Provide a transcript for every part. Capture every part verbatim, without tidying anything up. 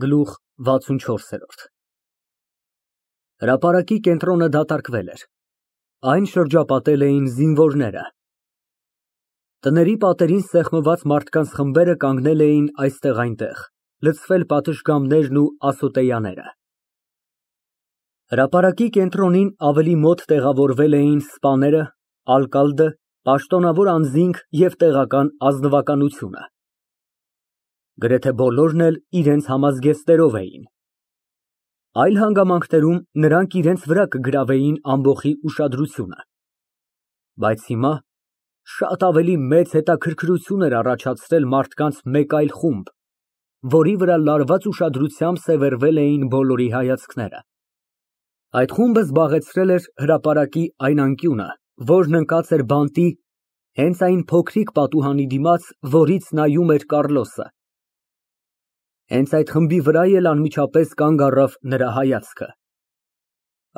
Գլուխ վաթսունչորս։ Հրապարակի կենտրոնը դատարկվել էր, այն շրջապատել էին զինվորները։ Տների պատերին սեղմված մարդկանց խմբերը կանգնել էին այստեղ֊այնտեղ, լցվել պատշգամբներն ու ասոտեյաները։ Հրապարակի կենտրոնին ավելի մոտ տեղավորվել էին սպաները, ալկալդը, պաշտոնավոր անձինք և տեղական ազնվականությունը։ Գրեթե բոլորն էլ իրենց համազգեստներով էին։ Այլ հանգամանքներում նրանք իրենց վրա կգրավեին ամբոխի ուշադրությունը, բայց հիմա շատ ավելի մեծ հետաքրքրություն էր առաջացրել մարդկանց մեկ այլ խումբ, որի վրա լարված ուշադրությամբ սևեռվել էին բոլորի հայացքները։ Այդ խումբը զբաղեցրել էր հրապարակի այն անկյունը, որն ընկած էր բանտի հենց այն փոքրիկ պատուհանի դիմաց, որից նայում էր Կառլոսը։ Հենց այդ խմբի վրա էլ անմիջապես կանգ առավ նրա հայացքը։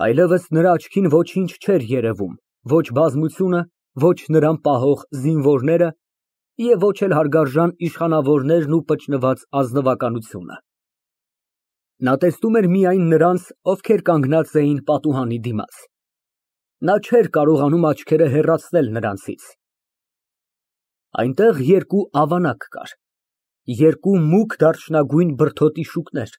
Այլևս նրա աչքին ոչինչ չէր երևում, ոչ բազմությունը, ոչ նրան պահող զինվորները և ոչ էլ հարգարժան իշխանավորներն ու պճնված ազնվականությունը։ Նա տեսնում էր միայն նրանց, ովքեր կանգնած էին պատուհանի դիմաց։ Նա չէր կարողանում աչքերը հեռացնել նրանցից։ Այնտեղ երկու ավանակ կար, երկու մուգ դարչնագույն բրդոտի շուկներ,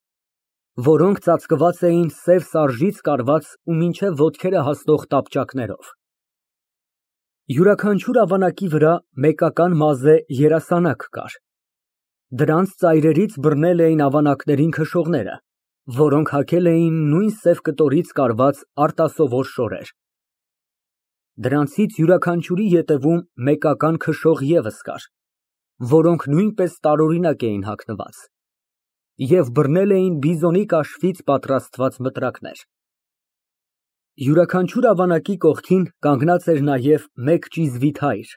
որոնք ծածկված էին սև սարժից կարված ու մինչև ոտքերը հասնող տապճակներով։ Յուրաքանչյուր ավանակի վրա մեկական մազե երասանակ կար։ Դրանց ծայրերից բռնել էին ավանակներին քշողները, որոնք հագել էին նույն սև կտորից կարված արտասովոր շորեր։ Դրանցից յուրաքանչյուրի ետևում մեկական քշող ևս կար, որոնք նույնպես տարօրինակ էին հագնված և բռնել էին բիզոնի կաշվից պատրաստված մտրակներ։ Յուրաքանչյուր ավանակի կողքին կանգնած էր նաև մեկ ճիզվիթ հայր,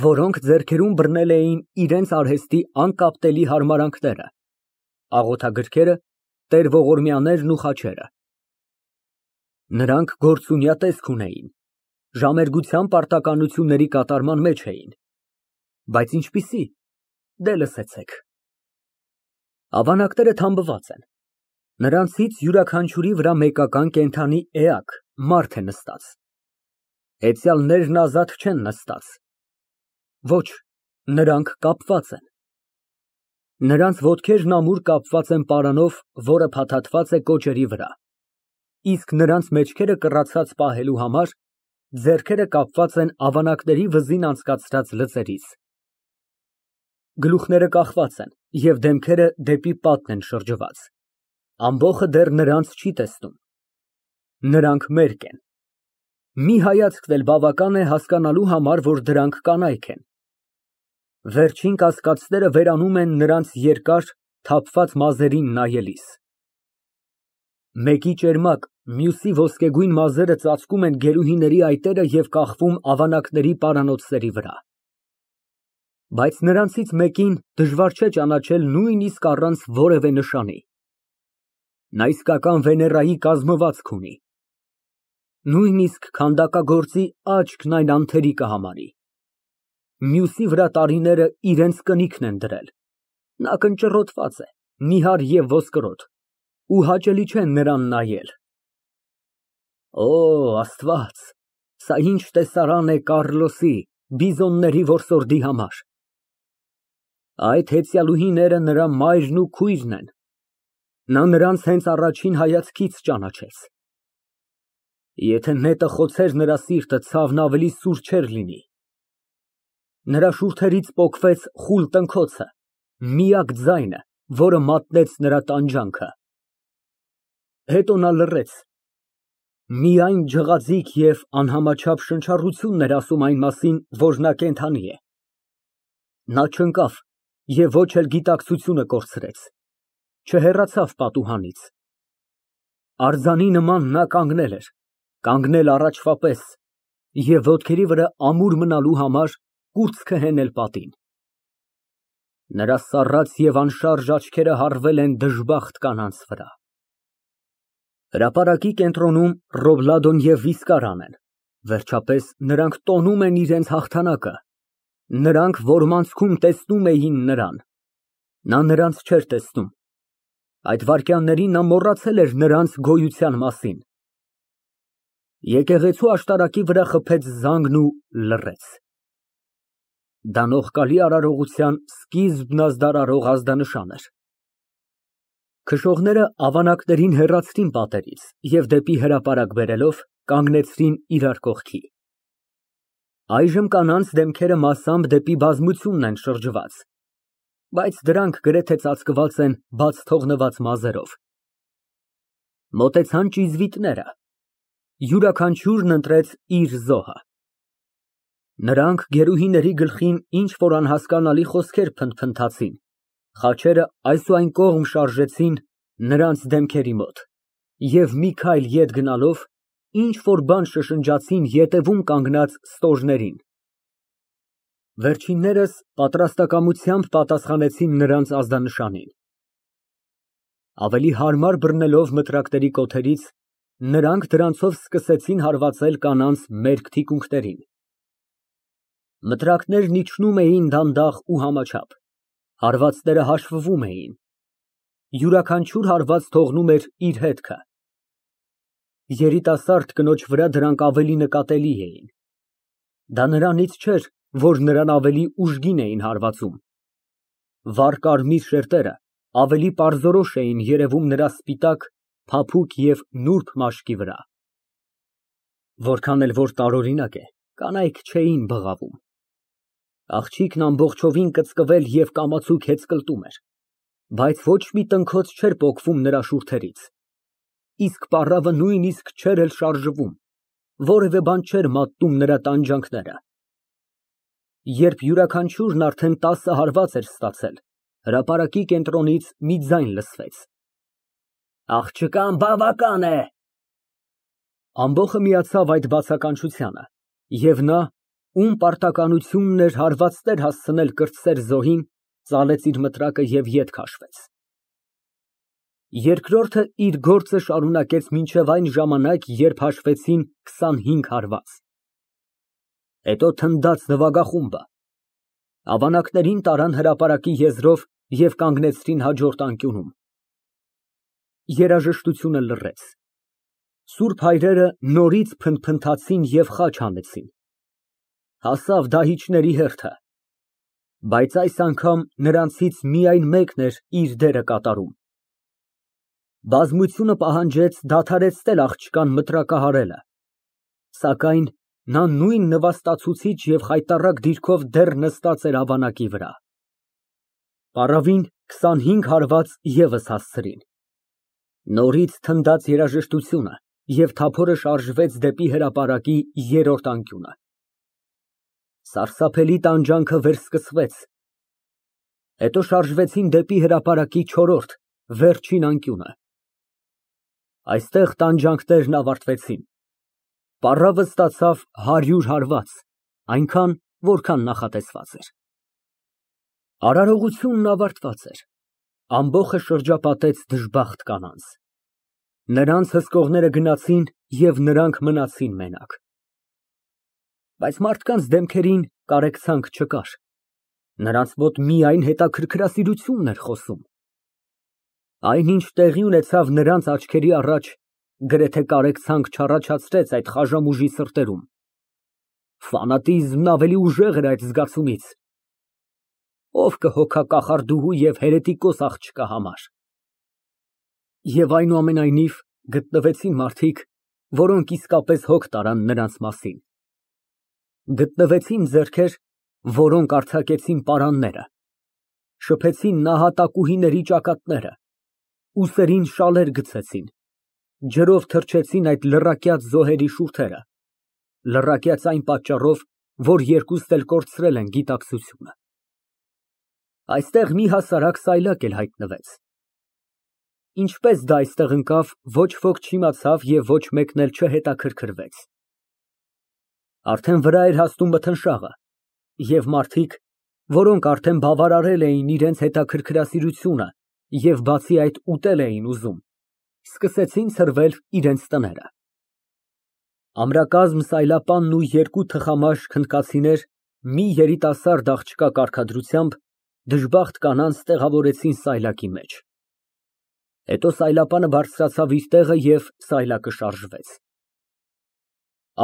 որոնք ձեռքերում բռնել էին իրենց արհեստի անկապտելի հարմարանքները, աղոթագրքերը, տեր֊ողորմյաներն ու խաչերը։ Նրանք գործունյա տեսք ունեին, ժամերգության պարտականությունների կատարման մեջ էին, բայց ինչպիսի, դե լսեցեք։ Ավանակները թամբված են, նրանցից յուրաքանչյուրի վրա մեկական կենդանի էակ, մարդ է նստած։ Հեծյալներն ազատ չեն նստած։ Ոչ, նրանք կապված են։ Նրանց ոտքերն ամուր կապված են պարանով, որը փաթաթված է կոճերի վրա, իսկ նրանց մեջքերը կռացած պահելու համար ձեռքերը կապված են ավանակների վզին անցկացրած լծերից։ Գլուխները կախված են և դեմքերը դեպի պատն են շրջված, ամբոխը դեռ նրանց չի տեսնում։ Նրանք մերկ են։ Մի հայացքն էլ բավական է հասկանալու համար, որ դրանք կանայք են։ Վերջին կասկածները վերանում են նրանց երկար, թափված մազերին նայելիս։ Մեկի ճերմակ, մյուսի ոսկեգույն մազերը ծածկում են գերուհիների այտերը և կախվում ավանակների պարանոցների վրա։ Բայց նրանցից մեկին դժվար չէ ճանաչել նույնիսկ առանց որևէ նշանի։ Նա իսկական Վեներայի կազմվածք ունի։ Նույնիսկ քանդակագործի աչքն այն անթերի կհամարի։ Մյուսի վրա տարիները իրենց կնիքն են դրել։ Նա կնճռոտված է, նիհար և ոսկրոտ, ու հաճելի չէ նրան նայել։ Օ, Աստված, սա ինչ տեսարան է Կառլոսի, բիզոնների որսորդի համար։ Այդ հեծյալուհիները նրա մայրն ու քույրն են։ Նա նրանց հենց առաջին հայացքից ճանաչեց։ Եթե նետը խոցեր նրա սիրտը, ցավն ավելի սուր չէր լինի։ Նրա շուրթերից պոկվեց խուլ տնքոցը, միակ ձայնը, որը մատնեց նրա տանջանքը։ Հետո նա լռեց։ Միայն ջղաձիգ և անհամաչափ շնչառությունն էր ասում այն մասին, որ նա կենդանի է։ Նա չընկավ և ոչ էլ գիտակցությունը կորցրեց, չհեռացավ պատուհանից։ Արձանի նման նա կանգնել էր, կանգնել առաջվա պես և ոտքերի վրա ամուր մնալու համար կուրծքը հենել պատին։ Նրա սառած և անշարժ աչքերը հառվել են դժբախտ կանանց վրա։ Հրապարակի կենտրոնում Ռոբլադոն և Վիսկարան են, վերջապես նրանք տոնում են իրենց հաղթանակը։ Նրանք որմանցքում տեսնում էին նրան։ Նա նրանց չէր տեսնում։ Այդ վայրկյաններին նա մոռացել էր նրանց գոյության մասին։ Եկեղեցու աշտարակի վրա խփեց զանգն ու լռեց։ Դա նողկալի արարողության սկիզբն ազդարարող ազդանշան էր։ Քշողները ավանակներին հեռացրին պատերից և դեպի հրապարակ բերելով, կանգնեցրին իրար կողքի։ Այժմ կանանց դեմքերը մասամբ դեպի բազմությունն են շրջված, բայց դրանք գրեթե ծածկված են բաց թողնված մազերով։ Մոտեցան ճիզվիտները, յուրաքանչյուրն ընտրեց իր զոհը։ Նրանք գերուհիների գլխին ինչ֊որ անհասկանալի խոսքեր փնթփնթացին, խաչերը այս ու այն կողմ շարժեցին նրանց դեմքերի մոտ և մի քայլ ետ գնալով ինչ֊որ բան շշնջացին ետևում կանգնած ստոժներին։ Վերջիններս պատրաստակամությամբ պատասխանեցին նրանց ազդանշանին։ Ավելի հարմար բռնելով մտրակների կոթերից, նրանք դրանցով սկսեցին հարվածել կանանց մերկ թիկունքներին։ Մտրակներն իջնում էին դանդաղ ու համաչափ, հարվածները հաշվվում էին, յուրաքանչյուր հարված թողնում էր իր հետքը։ Երիտասարդ կնոջ վրա դրանք ավելի նկատելի էին։ Դա նրանից չէր, որ նրան ավելի ուժգին էին հարվածում։ Վառ կարմիր շերտերը ավելի պարզորոշ էին երևում նրա սպիտակ, փափուկ և նուրբ մաշկի վրա։ Որքան էլ որ տարօրինակ է, կանայք չէին բղավում։ Աղջիկն ամբողջովին կծկվել և կամացուկ հեծկլտում էր, բայց ոչ մի տնքոց չէր պոկվում նրա շուրթերից, իսկ պառավը նույնիսկ չէր էլ շարժվում, որևէ բան չէր մատնում նրա տանջանքները։ Երբ յուրաքանչյուրն արդեն տասը հարված էր ստացել, հրապարակի կենտրոնից մի ձայն լսվեց. «Աղջկան բավական է»։ Ամբոխը միացավ այդ բացականչությանը, և նա, ում պարտականությունն էր հարվածներ հասցնել կրտսեր զոհին, ծալեց իր մտրակը և ետ քաշվեց։ Երկրորդը իր գործը շարունակեց մինչև այն ժամանակ, երբ հաշվեցին քսանհինգ հարված։ Հետո թնդաց նվագախումբը։ Ավանակներին տարան հրապարակի եզրով և կանգնեցրին հաջորդ անկյունում։ Երաժշտությունը լռեց։ Սուրբ հայրերը նորից փնթփնթացին և խաչ հանեցին։ Հասավ դահիճների հերթը, բայց այս անգամ նրանցից միայն մեկն էր իր դերը կատարում։ Բազմությունը պահանջեց դադարեցնել աղջկան մտրակահարելը, սակայն նա նույն նվաստացուցիչ և խայտառակ դիրքով դեռ նստած էր ավանակի վրա։ Պառավին քսանհինգ հարված ևս հասցրին։ Նորից թնդաց երաժշտությունը, և թափորը շարժվեց դեպի հրապարակի երրորդ անկյունը։ Սարսափելի տանջանքը վերսկսվեց, հետո շարժվեցին դեպի հրապարակի չորրորդ, վերջին անկյունը։ Այստեղ տանջանքներն ավարտվեցին։ Պառավը ստացավ հարյուր հարված, այնքան, որքան նախատեսված էր։ Արարողությունն ավարտված էր։ Ամբոխը շրջապատեց դժբախտ կանանց։ Նրանց հսկողները գնացին, և նրանք մնացին մենակ։ Բայց մարդկանց դեմքերին կարեկցանք չկար, նրանց մոտ միայն հետաքրքրասիրությունն էր խոսում։ Այնինչ տեղի ունեցավ նրանց աչքերի առաջ, գրեթե կարեկցանք չառաջացրեց այդ խաժամուժի սրտերում։ Ֆանատիզմն ավելի ուժեղ էր այդ զգացումից։ Ո՞վ կհոգա կախարդուհու և հերետիկոս աղջկա համար։ Եվ այնուամենայնիվ գտնվեցին մարդիկ, որոնք իսկապես հոգ տարան նրանց մասին։ Գտնվեցին ձեռքեր, որոնք արձակեցին պարանները, շփեցին նահատակուհիների ճակատները, ուսերին շալեր գցեցին, ջրով թրջեցին այդ լռակյաց զոհերի շուրթերը, լռակյաց այն պատճառով, որ երկուստ էլ կորցրել են գիտակցությունը։ Այստեղ մի հասարակ սայլակ էլ հայտնվեց։ Ինչպես դա այստեղ ընկավ, ոչ ոք չիմացավ և ոչ մեկն էլ չհետաքրքրվեց։ Արդեն վրա էր հասնում մթնշաղը, և մարդիկ, որոնք արդեն բավարարել էին իրենց հետաքրքրասիրությունը և բացի այդ ուտել էին ուզում, սկսեցին ցրվել իրենց տները։ Ամրակազմ սայլապանն ու երկու թխամաշ քննքացիներ մի երիտասարդ աղջկա կարգադրությամբ դժբախտ կանանց տեղավորեցին սայլակի մեջ։ Հետո սայլապանը բարձրացավ իր տեղը և սայլակը շարժվեց։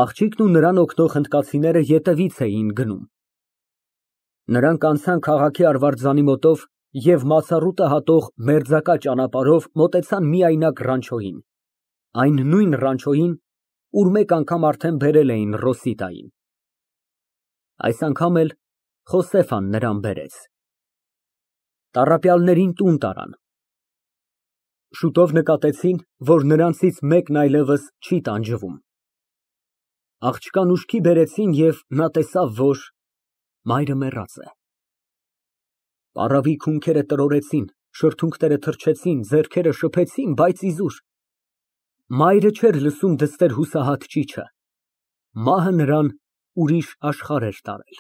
Աղջիկն ու նրան օգնող հնդկացիները ետևից էին գնում։ Նրանք անցան քաղաքի արվարձանի մոտով և մացառուտը հատող մերձակա ճանապարհով մոտեցան միայնակ ռանչոյին, այն նույն ռանչոյին, ուր մեկ անգամ արդեն բերել էին Ռոսիտային։ Այս անգամ էլ Խոսեֆան նրան բերեց։ Տառապյալներին տուն տարան։ Շուտով նկատեցին, որ նրանցից մեկն այլևս չի տանջվում։ Աղջկան ուշքի բերեցին և նա տեսավ, որ մայրը մեռած է։ Պառավի քունքերը տրորեցին, շրթունքները թռչեցին, ձեռքերը շփեցին, բայց իզուր։ Մայրը չէր լսում դստեր հուսահատ ճիչը, մահը նրան ուրիշ աշխարհ էր տարել։